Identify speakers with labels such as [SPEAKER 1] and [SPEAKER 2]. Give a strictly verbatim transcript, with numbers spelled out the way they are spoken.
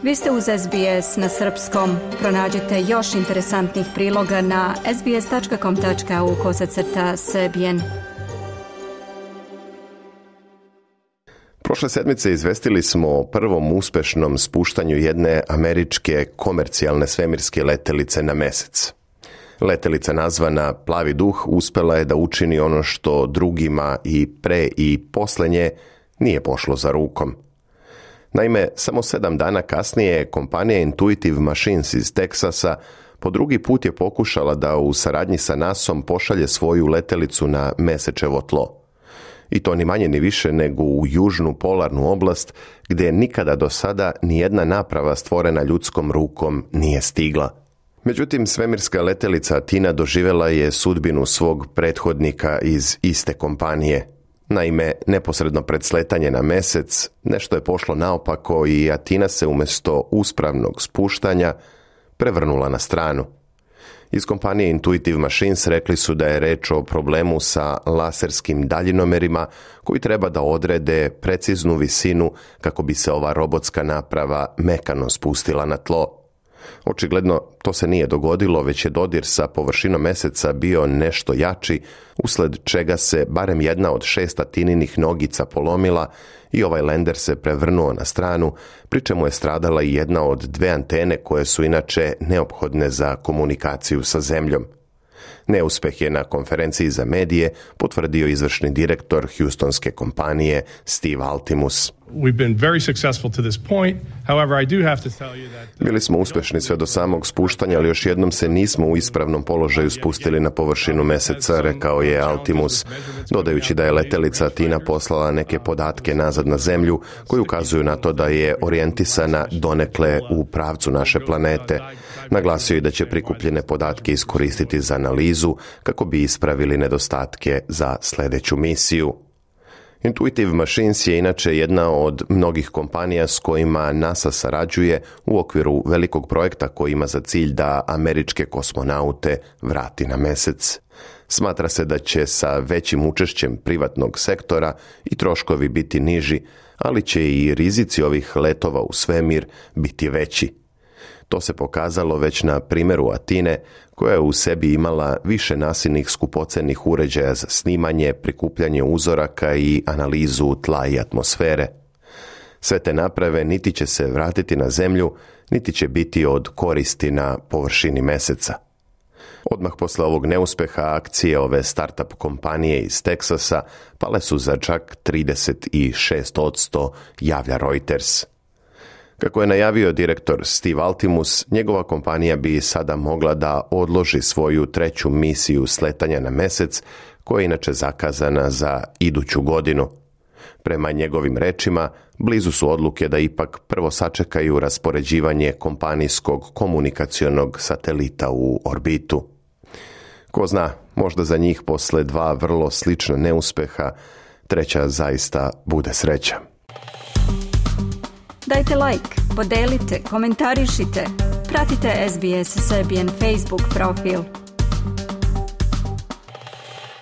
[SPEAKER 1] Vi ste uz S B S na srpskom. Pronađite još interesantnih priloga na sbs.com.au kosacrta srbijen.
[SPEAKER 2] Prošle sedmice izvestili smo o prvom uspešnom spuštanju jedne američke komercijalne svemirske letelice na mesec. Letelica nazvana Plavi duh uspela je da učini ono što drugima i pre i posle nje nije pošlo za rukom. Naime, samo sedam dana kasnije kompanija Intuitive Machines iz Teksasa po drugi put je pokušala da u saradnji sa nasom pošalje svoju letelicu na mesečevo tlo. I to ni manje ni više nego u južnu polarnu oblast gdje nikada do sada nijedna naprava stvorena ljudskom rukom nije stigla. Međutim, svemirska letelica Athena doživjela je sudbinu svog prethodnika iz iste kompanije. Naime, neposredno pred sletanje na mesec, nešto je pošlo naopako i Athena se umjesto uspravnog spuštanja prevrnula na stranu. Iz kompanije Intuitive Machines rekli su da je reč o problemu sa laserskim daljinomerima koji treba da odrede preciznu visinu kako bi se ova robotska naprava mekano spustila na tlo. Očigledno to se nije dogodilo, već je dodir sa površinom meseca bio nešto jači, usled čega se barem jedna od šest Atheninih nogica polomila i ovaj lender se prevrnuo na stranu, pri čemu je stradala i jedna od dve antene koje su inače neophodne za komunikaciju sa zemljom. Neuspeh je na konferenciji za medije potvrdio izvršni direktor Houstonske kompanije Steve Altimus.
[SPEAKER 3] We've been very successful to this point. However, I do have to tell you that
[SPEAKER 2] Bili smo uspešni sve do samog spuštanja, ali još jednom se nismo u ispravnom položaju spustili na površinu meseca, rekao je Altimus, dodajući da je letelica Athena poslala neke podatke nazad na zemlju koji ukazuju na to da je orijentisana donekle u pravcu naše planete. Naglasio je da će prikupljene podatke iskoristiti za analizu kako bi ispravili nedostatke za sljedeću misiju. Intuitive Machines je inače jedna od mnogih kompanija s kojima NASA sarađuje u okviru velikog projekta koji ima za cilj da američke kosmonaute vrati na mesec. Smatra se da će sa većim učešćem privatnog sektora i troškovi biti niži, ali će i rizici ovih letova u svemir biti veći. To se pokazalo već na primjeru Athene, koja je u sebi imala više nasilnih skupocenih uređaja za snimanje, prikupljanje uzoraka i analizu tla i atmosfere. Sve te naprave niti će se vratiti na zemlju, niti će biti od koristi na površini meseca. Odmah posle ovog neuspeha akcije ove startup kompanije iz Teksasa pale su za čak trideset šest posto, javlja Reuters. Kako je najavio direktor Steve Altimus, njegova kompanija bi sada mogla da odloži svoju treću misiju sletanja na mesec, koja je inače zakazana za iduću godinu. Prema njegovim rečima, blizu su odluke da ipak prvo sačekaju raspoređivanje kompanijskog komunikacionog satelita u orbitu. Ko zna, možda za njih posle dva vrlo slična neuspeha, treća zaista bude sreća.
[SPEAKER 1] Dajte like, podelite, komentarišite. Pratite S B S Serbian Facebook profil.